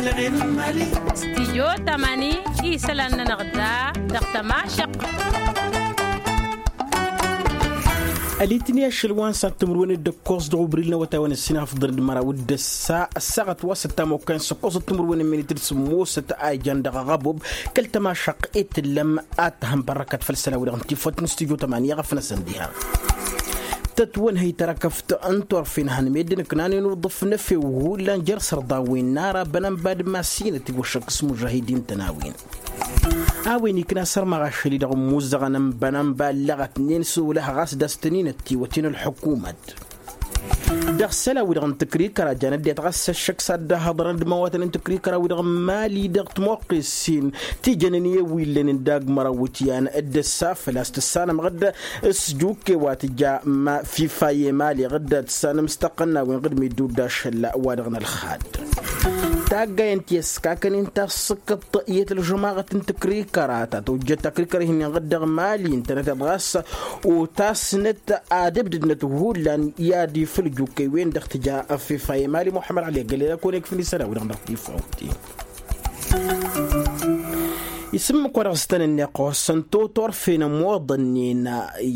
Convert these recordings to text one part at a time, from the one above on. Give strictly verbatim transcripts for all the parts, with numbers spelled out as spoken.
Stijyo tămani isălan-nănăɣ da dăɣ-tămašăq. Ălitni ašăl wa n-sat timǝrwen d-ǝkkoẓ dăɣ-ubril n-awătay wa n-ǝssin afḍăn d-măraw d-ǝssa ăssaɣăt wa s-ăttam okăyăn s-ǝkkoẓăt timǝrwen n-minit d-sǝmmosăt a ijan dăɣ-aɣăbub kăl-tămašăq i-tǝllăm. Ad-tăhănbărrăkăt făll-isălan-wi-dăɣ n-tifăt n-studyo tămani i-aɣăf-năsăn diha. Tătwănhăy tărăkăft n-turfen han meddǝn ǝknanen uḍǝf n-efew hullan jer-sărḍan wi n-ara bănănba d-masinăt iwăššăk s-mužahidin-tăn a-wen. A-wen ikna sărmăɣ ašăl-i-dăɣ ǝmmuzăɣăn n-bănănba ǝllăɣătnen s-olăh ɣas d-a-s tăn-in-ăttiwăten ălḥukumăt. Dăɣ-isălan-wi-dăɣ n-tǝkrikăra jan ăddinăt ɣas s-ăššăk s-ad-dd-ăhhăḍărăn d-imawatăn n-tǝkrikăra-wi-dăɣ n-mali dăɣ-timoqqes-in ti jănen i-ewwillen n-dagg-măraw iwǝtyan d-ǝssa făl-a-s tǝssanămăɣ-dd s-jukke wa tǝja ma fifa i-mali ɣǝdda tǝssanăm s-tăqqăn n-a-wen ɣǝd meddǝw d-ašăl wa-dăɣ n-ălxad. Taggay n-ti ăskakăn-in tasǝkkăḍt iyyăt ălžămaɣăt n-tǝkrikăra ta tăwjăt takrikăra ihǝnnin ɣǝd dăɣ-mali ǝntănăteḍ ɣas otasnăt ad-ǝbdǝdnăt hullan i-ad-ifǝl jukkăy-wen-dăɣ tǝja fifa i-mali muḥămmăd ăli ăggălăy d-akăwăn-ikfǝn isălan-wi-dăɣ dăɣ-tifa. Isǝmmǝk wa dăɣ-s tăn-ǝnneɣ ăqqosăn totorfen ămoḍănnen.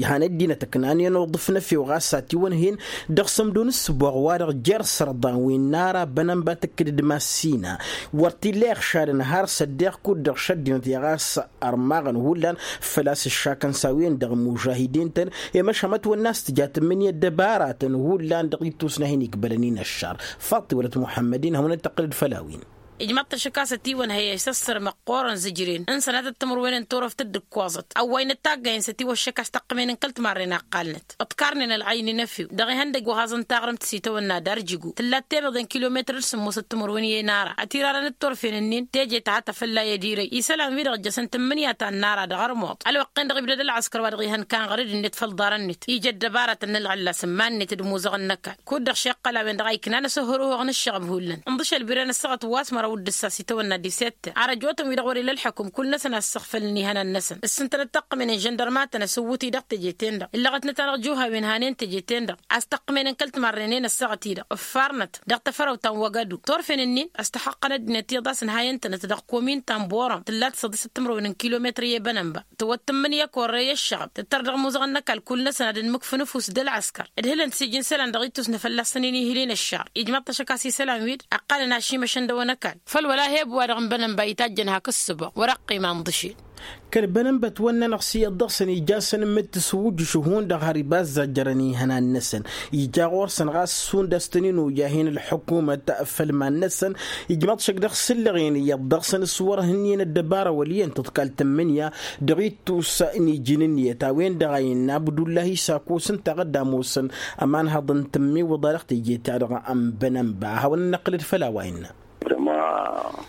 Han ăddinăt ǝknanen uḍǝf n-efew ɣas atiwănhen dăɣ-sămdo n-ǝssǝboɣ wa-dăɣ jer-sărḍan wi n-ara bănănba tǝkkǝd d-massina wăr t-illa iɣšadăn har s-ăddeɣ kud-dăɣ šăddinăt i-ɣas ărmaɣăn hullan făl-a-s ǝššakăn s-a-wen-dăɣ mužahidin-tăn. I-măšan mătwănna a-s tǝja tǝmmǝnǝya ăddăbaratăn hullan dăɣ-ittus n-ad-hin-ikbălăn-in ăššar. Faḍt-i wălăt muḥămmăd-in hawăn-dd-tăqqǝlăd făll-a-wen. Ijmăḍ-t ašăk a-s ătiwănhăy a isăssărmăɣ ɣur-ănzǝjren n-sănatăt timǝrwen n-turăft dd-ǝkkoẓăt ăwwăynăt taggayăn s-ătiwăššăk a-s tăqqǝmen n-kăl-timarren a ǝqqalnăt ǝḍkarnen ălɣayni n-efew dăɣ-ihăndăgg wa haẓăn taɣrǝmt s-itawănna d-arjǝgo tǝllat temeḍe n-kilometăr d-sǝmmosăt timǝrwen i-enara ătirarăn d-turfen-ǝnnin teje tăhăt afălla i-ad-irăy isălan-wi-dăɣ ǝjjăsăn tǝmmǝnǝya ta n-nara dăɣ-ărmuḍ ălwăqq-en-dăɣ ibdăd ălɣăskăr wa dăɣ-ihăn kan ɣăr-dd-net făll-iḍarăn-net ija ăddăbarătăn n-ălɣăllas ǝmman-net d-imuzăɣăn n-ăkall kud-dăɣ šeqqăl a-wen-dăɣ a iknan asǝhhăruhăɣ n-ǝššăɣǝb hullan ǝnḍǝšăl birăn ăssaɣăt wa s-măraw d-ǝssa s-itawănna disette arăjotăn-wi-dăɣ wăr-ila ălḥăkum kull-năsăn a ǝssăɣfălăn ihănan-năsăn ǝssǝntănăt taqqǝmen n-žăndărmatăn asǝwwǝt-i dăɣ-teje-ten-dăɣ illăɣătnăt-anăɣ juhawen hanen teje-ten-dăɣ a-s taqqǝmen n-kăl-timarrenen ăssaɣăt-i-dăɣ ǝffarnăt dăɣ-tafărăwt ta n-wăgădu turfen-ǝnnin a-s tăxăqqăn ăddinăt iyyăḍ a-s ǝnhayăn-tănăt dăɣ-komin ta n-borom tǝllat săḍisăt timǝrwen n-kilometăr i-bănănba tăwăt tǝmmǝnǝya korre i-ăššăɣăb tǝttăr dăɣ-imuzăɣăn n-ăkall kull-năsăn ad-ǝnmǝkfǝn ăfuss d-ălɣăskăr ǝdhǝlăn-t s-ija n-isălan dăɣ-ittus n-afălla s-tăn-in-ihǝlin ăššar ijmăḍ-t ašăk a-s isălan-wi-dd ăqqalăn ašimăšăn dăɣ-wăn ăkall făll-wăla heb-wa-dăɣ n-bănănba itajjăn hak ǝssǝboɣ wăr-ăqqima ǝnḍǝšel. Kăl-bănănba ătwănnăn ăɣsǝyăḍ dăɣ-săn ija a-s ănmǝttǝs wǝjjǝš hundăɣ har iba ăzzajjărăn ihănan-năsăn ija ɣur-săn ɣas šund a-s tăn-in-oja hin-ălḥukumăt făll-iman-năsăn. Ijmăḍ-t ašăk dăɣ-isǝllăɣen iyyăḍ dăɣ-săn s-wăr-hǝnnin ăddăbara wăl' iyyăn tǝḍkal tǝmmǝnǝya dăɣ-ittus n-iji n-ǝnniyăt a-wen-dăɣ a innă abdullahi s-akos ǝnta a ɣǝdda ămoosăn ămanhăḍ n-tǝmmiwǝḍa dăɣ-teje-ta-dăɣ n-bănănba a hawăn-năqqǝlăd făll-a-wa innă.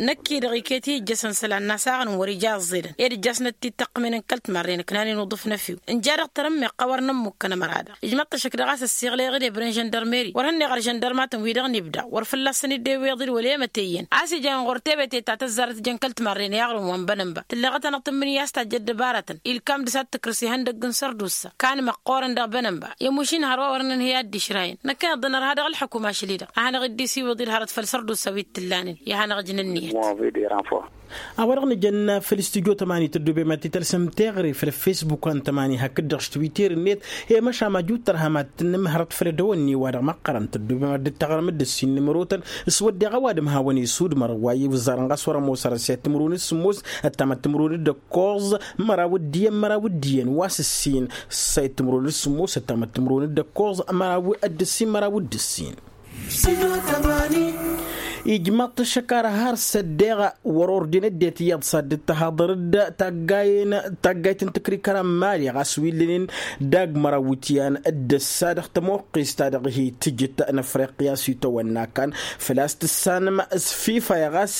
Năkk-i-dăɣ iket i-ijjăsăn isălan n-asaɣăn wăr-ija a ǝẓẓedăn ed ǝjjasnăt-t-dd taqqǝmen n-kăl-timarren ǝknanen uḍǝf n-efew. Nja dăɣ-tărǝmmeɣt a wăr nămmukkăn ămăra-dăɣ ijmăḍ-t ašăk dăɣ-a-s ăssiɣlăyăɣ-dd ebre n-žăndărmeri wăr hănneɣ ăr žăndărmatăn-wi-dăɣ n-ibda wăr fălla-săn dd-eweḍ-dd wăla i-măteyyen a-s ijăn ɣur-tebete ta tăzzarăt jăn kăl-timarren i-aɣrǝm wa n-bănănba tǝlleɣăt-anăɣ tǝmmǝnǝya a-s tajj ăddăbarătăn ilkam dăɣ-s ad-tǝkrǝs ihăndăgg n-sărdusa. Kan măqqoorăn dăɣ-bănănba i-mušin hărwa wăr nǝnhǝy ad-dd-išrayăn năkkăneḍ-dăɣ nărha dăɣ-ălḥăkum ašăl-i-dăɣ a hanăɣ-dd-isiwǝḍ-dd hărăt făll-sărdusa wi t-tǝllanen i-ad-hanăɣ-ǝjnǝnniyăt. A-wa-dăɣ nǝjănna făll-studyo tămani tăddoobem ad-t-tălsăm teɣăre făll-fesbuk wa n-tămani hakd-dăɣ s-twitter-net. I-măšan maju tărham ad-tǝnnǝm hărăt făll-ădăwănne-wa-dăɣ măqqărăn tăddoobem ad-dd-taɣrǝm d-ǝssin n-imrotăn s-wădden a-wa d-ămhawăn isud mărăwway i-wǝzzarăn ɣas wăr-ămoos arăsiyăt timǝrwen d-sǝmmos ăttamăt timǝrwen d-ăkkoẓ măraw d-iyyăn măraw d-iyyăn wa s-ǝssin. Săyăt timǝrwen d-sǝmmos ăttamăt timǝrwen d-ăkkoẓ măraw d-ǝssin măraw d-ǝssin. Ijmăḍ-t ăššăk ar har s-ăddeɣ wăr-orden ăddinăt iyyăḍ s-ad-dd-tăhaḍăr-dd taggayen taggayt n-tǝkrikăra n-mali ɣas wi ǝllănen dagg măraw iwǝtyan d-ăssa dăɣ-tămoqqest ta dăɣ-hi-tǝjǝt n-afriqya s-itawănna kan făl-a-s tǝssanăm s-fifa i-ɣas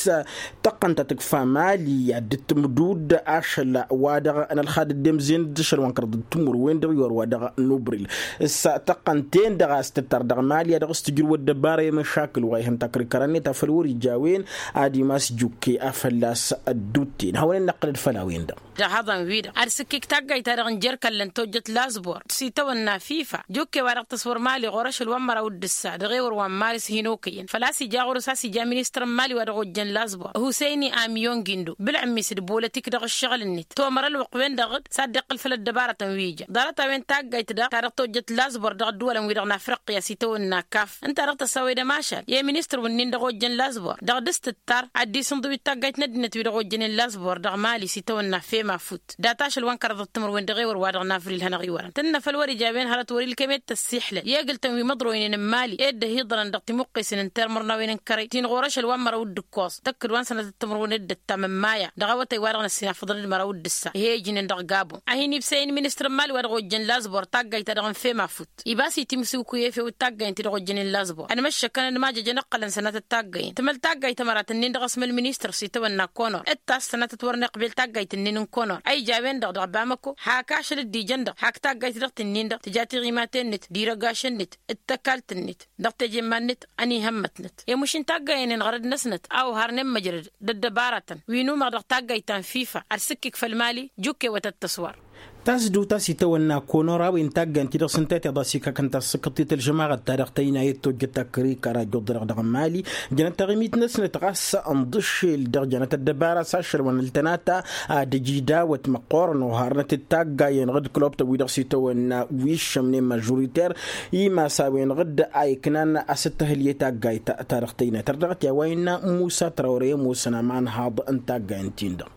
tăqqăn ta tǝkfa mali ad-dd-tǝmdud ašăl wa-dăɣ n-ălxad dd-emzen d-ašăl wa n-kăraḍ d-timǝrwen dăɣ-iwar wa dăɣ-nubril s-tăqqăn-ten-dăɣ a-s tǝttar dăɣ-mali a dăɣ-s tǝjrǝw ăddăbara i-măšakǝl wa ihăn takrikăra-net afăl wăr-ija a-wen ad-imas jukke a fălla-s ăddutten hawăn-in-năqqǝlăd făll-a-wen-dăɣ. dăɣ-haḍăn-wi-dăɣ ad-sǝkkik taggayt-ta-dăɣ n-jer-kăllăn tojjăt laẓbor s-itawănna fifa jukke wa dăɣ-tăswăr mali ɣur-ašăl wa n-măraw d-ǝssa dăɣ-ewăr wa n-maris hin-okăyăn făl-a-s ija ɣur-s a-s ija ministăr n-mali wa dăɣ-ojjăn laẓbor husăyni amiyon gindo bǝlɣǝm-is d-bolătik dăɣ-ǝššăɣǝl-net tomăr ălwăqq-wen-dăɣ d-s ad-dd-iqqǝl făll-ăddăbarătăn wi ija ḍarăt-a-wen taggayt-dăɣ ta dăɣ-tojjăt laẓbor dăɣ-ădduwălăn-wi-dăɣ n-afriqya s-itawănna kaf ǝnta dăɣ-tăsawed ămašal i-ministăr wǝnnin dăɣ-ojjăn laẓbor dăɣ-dd-s tǝttar ad-dd-isǝnḍǝw d-taggayt n-ăddinăt wi-dăɣ ojjănen laẓbor dăɣ-mali s-itawănna fem afut dat-ašăl wa n-kăraḍăt timǝrwen dăɣ-ewăr wa dăɣ-nafril hanăɣ-iwărăn tǝnnă făll-wăr ija a-wen hărăt wăr-ilkăm i-tăssixlăn i-egǝltăn wi măḍroynen n-mali i-dd-ăhiḍărăn dăɣ-timuqqesen n-termărnawen n-kărăy ti n-ɣur-ašăl wa n-măraw d-ǝkkoẓ tăkk-dd wa n-sănatăt timǝrwen d-ǝttam n-maya dăɣ-awătay wa dăɣ-năssinafăḍăn d-măraw d-ǝssa ih'-e ijnen dăɣ-gabon a hin-ibsăyăn ministăr n-mali wa dăɣ-ojjăn laẓbor taggayt-ta-dăɣ n-fem afut iba s-itimǝsiwkuy efew d-taggayăn ti-dăɣ ojjănen laẓbor ănmăššăkăn ănmajăjăn ǝqqălăn sănatăt taggăyăn tǝmăl taggayt ămărat-ǝnnin dăɣ-asmăl ministăr s-itawănna konor d-tass sănatăt wăr n-iqbel taggayt-ǝnnin n-konor a ija a-wen-dăɣ dăɣ-bamăko hak ašăl dd-ijăn-dăɣ hak taggayt dăɣ-tǝnnin-dăɣ tǝja tiɣimaten-net d-irăgašăn-net d-tăkalt-net d-tăkalt-net dăɣ-tejemmannăt ăniihămmătnăt i-mušin taggăyăn-en ɣărăd-năsnăt a oharnen măjrăd d-ăddăbarătăn wi n-umăɣ dăɣ-taggăyt ta n-fifa ad-sǝkkǝk făll-mali jukkewătăt tăswăr. Tasdut a-s itawănna konor a-wen taggăyăn-ti-dăɣ s-ǝnta tiḍa s-ikakăn tassǝkkăḍt i-tălžămaɣăt-ta-dăɣ tăynayăt tojjăt takrikăra ăjjuḍărăɣ dăɣ-mali jănăt taɣimit-năsnăt ɣas ǝnḍǝšel dăɣ-jănăt ăddăbara s-ašăl wa n-ǝltănata ad-ăj idawăt măqqoorăn oharnăt d-taggay-enăɣ d-klobtăn-wi-dăɣ s-itawănna wi ǝššămnen mažuriter imas a-wen-dăɣ a iknan a-s dd-tăhǝlye taggayt ta dăɣ-tăynat ărdăɣăt i-a-wa innă musa trawre i-ămoosăn amanhaḍ n-taggay n-tin-dăɣ.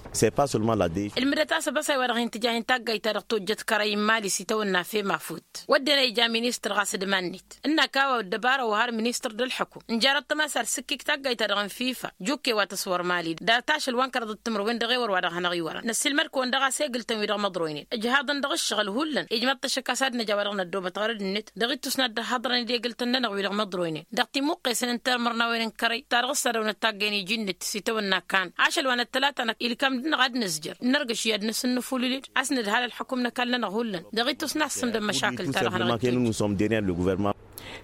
Ǝlmǝdăt a-s ăbăsay wa dăɣ-hin-tǝja hin-taggayt ta dăɣ-tojjăt kărăy n-mali s-itawănna fem afut wădden a ija ministăr ɣas d-iman-net ǝnnak a-wa ăddăbara ohar ministăr d-ălḥăkum ǝnjarăt tămasar s-ǝkkik taggayt ta dăɣ-n fifa jukke wa tăswăr mali dat-ašăl wa n-kăraḍăt timǝrwen dăɣ-ewăr wa dăɣ-hanăɣ-iwărăn năssiilmăd-kăwăn dăɣ-a-s egǝltăn-wi-dăɣ măḍroynen ǝjhaḍăn dăɣ-ǝššăɣǝl hullan ijmăḍ-t ăššăk a-s ad-năj a-wa dăɣ-năddoobăt ɣărăd-net dăɣ-ittus n-ad-dd-ăhhăḍrăn d-egǝltăn-nănăɣ wi-dăɣ măḍroynen dăɣ-timuqqesen n-termărnawen n-kărăy ta dăɣ-s ad-dăwnăt taggăyăn iji-net s-itawănna kan ašăl wa n-ăttălata-năk ilkam-dăɣ ad-nǝzjăr nărgăš i-ad-nǝsǝnnǝfulǝl-dd a-s nǝdhal ălḥăkum n-ăkall-nănăɣ hullan dăɣ-ittus n-ad-sǝmdăn măšakǝl ta dăɣ-hanăɣ-dd-tăjjǝt.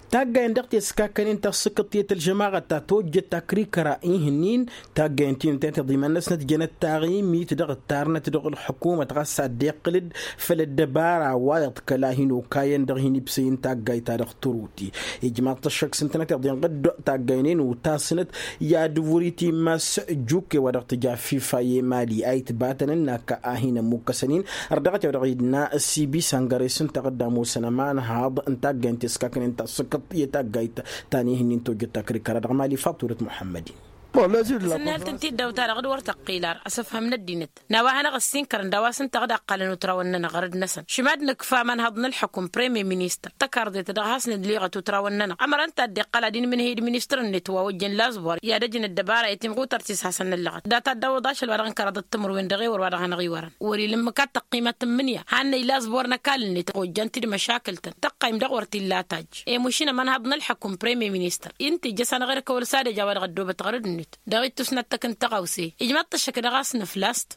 Taggăyăn dăɣ-teskakănen tassǝkkăḍt i-tălžămaɣăt ta tojjăt takrikăra ih'-nin taggăyăn ti n-tătiḍ iman-năsnăt jănăt taɣimit dăɣ-ǝttarnăt dăɣ-ălḥukumăt ɣas ad-dd-iqqǝl-dd făll-ăddăbara wa iḍkăl a hin-okayăn dăɣ-hin-ibsăy n-taggayt ta dăɣ-tărut ijmaḍ-t ăššăk s-ǝntănăt iḍinɣ-dd taggăynen utasnăt i-ad-ǝwwǝr-i timmas jukke wa dăɣ-tǝja fifa i-mali a itbatăn ǝnnak a hin-ămmukkăsăn-in ărdăɣăt i-wa dăɣ-idna s-ibi săngăre s-ǝnta ɣǝdda ămoosăn ămanhaḍ n-taggayt n-teskaknen tassǝkkăḍt i-taggayt ta n-ihǝnnin tojjăt takrikăra dăɣ-mali faḍt wăr-ătmuḥămmăd-in. Sǝnnihăl tǝntiddaw-ta-dăɣ d-wăr tăqqil ar asǝfhăm n-ăddinăt n-a-wa hanăɣ-ăssinkărăn d-a-wa s-ǝnta a dd-ăqqalăn utrawăn-nănăɣ ɣărăd-năsăn šimad nǝkfa ămanhăḍ n-ălḥukǝm premier ministăr tăkarḍet dăɣ-has-nǝdliɣăt utrawăn-nănăɣ ămăra ǝnta a dd-iqqăl ad-inmǝnhǝy d-ministăr-net wa ojjăn laẓbor i-ad-ăj n-ăddăbara i-timɣutărt-is hasăn-năllăɣăt data dd-awǝḍ ašăl wa dăɣ-n kăraḍăt timǝrwen dăɣ-ewăr wa dăɣ-hanăɣ-iwărăn wăr-ila ǝmmǝk ad-tăqqimăt tǝmmǝnǝya hannăy laẓbor n-ăkall-net ojjan-t-dd măšakǝl-tăn tăqqayǝm daɣ wăr t-illa tajj i-mušin ămănhăḍ n-ălḥăkum premier ministăr ǝnta ija s-anăɣ-erk ăwăl s-ad-ăj a-wa dăɣ-ăddoobăt ɣărăd-net dăɣ-ittus n-ad-tăkk n-tăɣawse ijmaḍ-t ăššăk dăɣ-asnăflas-t.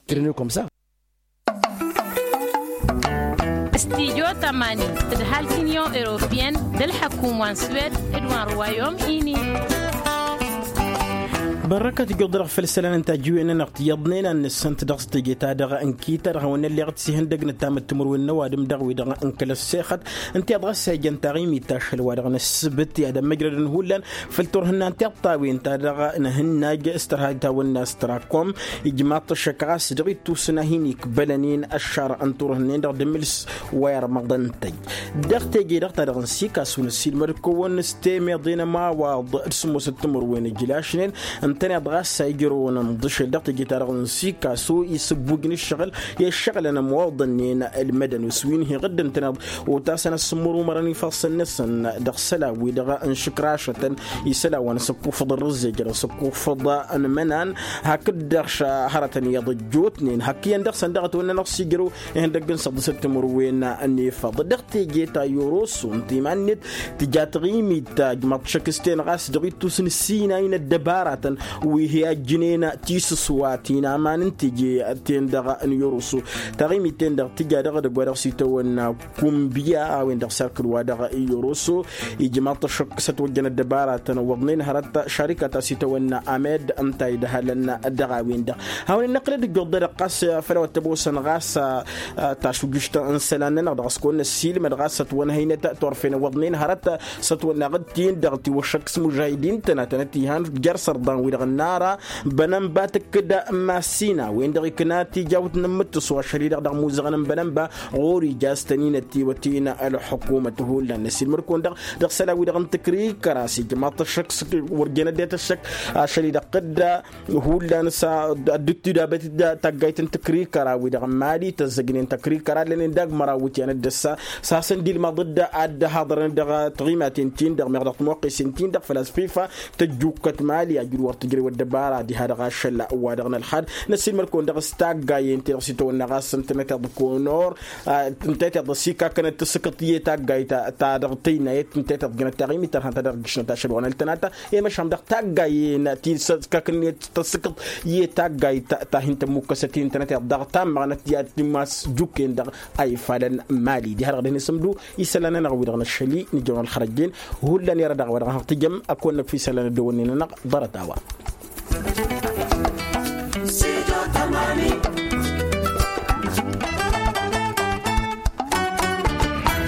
Stijo tămani tǝdhal t-inyon europiyăn d-ălḥăkum wa n-swed d-wa n-ruwayom ini. Bărrăkăt ǝjjuḍ-dăɣ făll-isălan n-tajǝwen-nănăɣ tiyyăḍnen ad-nǝssǝnt dăɣ-s teje-ta-dăɣ n-kita-dăɣ hawăn-ălleɣ d-sihǝndăg n-ăttam d-timǝrwen n-ăwadǝm dăɣ-wi-dăɣ n-kăl-ăssexăt ǝnta i-ad-dăɣ-s a ijăn taɣimit ašăl wa dăɣ-nǝssǝbǝt i-ad-ămmăjrădăn hullan făll-turhǝnna n-tiṭṭawen-ta-dăɣ n-ahǝnnaj s-tărha itawănna s-tărakom ijmaḍ-t ăššăk ɣas dăɣ-ittus n-ad-hin-ikbălăn-in ăššarăɣ n-turhǝnnen-dăɣ d-amǝls wa irmăḍăn tăj dăɣ-teje-dăɣ ta dăɣ-nǝsikasu năssiilmăd-kăwăn s-temeḍe n-ămawaḍ d-sǝmmosăt timǝrwen ǝjlašnen ǝntăneḍ ɣas a ijrăwăn ǝnḍǝšel dăɣ-teje-ta-dăɣ n-sikasu isǝbbuj n-ǝššăɣǝl i-ǝššăɣǝlăn ămoḍănnen ălmădăn s-wi n-hi-iɣǝddǝn ǝntăneḍ otasăn ăssǝmmărumărăn ifassăn-năsăn dăɣ-isălan-wi-dăɣ n-išǝkrašătăn isălan wa n-asǝkkufăḍ n-rǝzzejăr asǝkkufăḍ n-imănan hakd-dăɣ hărătăn iyyăḍ ăjjootnen hak iyyăn dăɣ-săn dăɣ-ătwănnănăɣ s-ijrăw ihăndăgg n-săḍǝsăt timǝrwen n-efăḍ dăɣ-teje ta i-oroso ǝnta iman-net tǝja taɣimit ta ǝjmaḍ-t šăkk s-ten ɣas dăɣ-ittus n-ǝssinay n-ăddăbaratăn Wi hi-ajjǝnen tisǝswa ti n-aman n-teje-ten-dăɣ n-iroso. Taɣimit-ten-dăɣ tǝja dăɣ-edăgg wa dăɣ-s itawănna kumbǝya a-wen-dăɣ sarkǝl wa dăɣ-iroso. Ijmaḍ-t ăššăk s-ătwăjjăn ăddăbaratăn ǝwwăḍnen hărăt šarikat a-s itawănna amed ǝnta idhălăn dăɣ-a-wen-dăɣ. Hawăn-in-năqqǝlăd ǝjjuḍ-dăɣ ɣas făll-a-wa t-ămoosăn ɣas tašujǝšt n-isălan-nănăɣ dăɣ-s kăwăn-năssiilmăd ɣas ătwănhăynăt turfen ǝwwăḍnen hărăt s-ătwănnaɣ d-tin-dăɣ tiwăššăk s-imužahidin-tăn a tănăt-ihan jer-sărḍan-wi-dăɣ n-ara bănănba tǝkkǝd massina-wen-dăɣ ikna tijawt n-amǝttǝs wa šăl-i-dăɣ dăɣ-imuzăɣăn n-bănănba. Ɣur-ija a-s tăn-inăt tiwătin ălxukumăt hullan năsiilmăd-kăwăn-dăɣ dăɣ-isălan-wi-dăɣ n-tǝkrikăra s-ijmaḍ-t ăššăk wăr jăn ăddinăt ăššăk ašăl-i-dăɣ tǝdda hullan s-ad-dd-tidabăt d-taggayt n-tǝkrikăra-wi dăɣ-n mali tăzzăjnen tăkrikăra lănen dagg măraw iwǝtyan d-ăssa. S-hasăn-dd-ilmăḍ-dd ad-dd-haḍărăn dăɣ-tiɣimaten-tin-dăɣ meɣ dăɣ-timwăqqesen-tin-dăɣ făl-a-s fifa tăjjukkăt mali ajǝd wăr tǝjrăy wăr dăbara diha dăɣ-ašăl wa dăɣ-nălxad. Năssiilmăd-kăwăn dăɣ-s taggayen-ti-dăɣ s-itawănna ɣas ǝntănăteḍ konor ǝntănăteḍ ăsikakănăt tǝssǝkǝḍ i-taggayt ta dăɣ-tăynayăt ǝntănăteḍ jănăt taɣimit tărhăn ta dăɣ-ǝjjǝšnăt ašăl wa n-ăltănata. I-măšan dăɣ-taggayen ti s-kăkǝnnet tăssǝkǝḍ i-taggayt ta hin-tămmukkăsăt i-ǝntănăteḍ dăɣ-tammăɣnăt i-ad-timas jukken-dăɣ a ifalăn mali diha-dăɣ dăɣ-hin-isǝmdu. Isălan-nănăɣ wi-dăɣ năššăl-i nǝjăwăn ălxărăjjen hullan i-ara dăɣ-wa dăɣ-hăɣ tǝjăm. Ad-kăwăn-năkf isălan ăddăwănnen-nănăɣ ḍarăt-a-wa.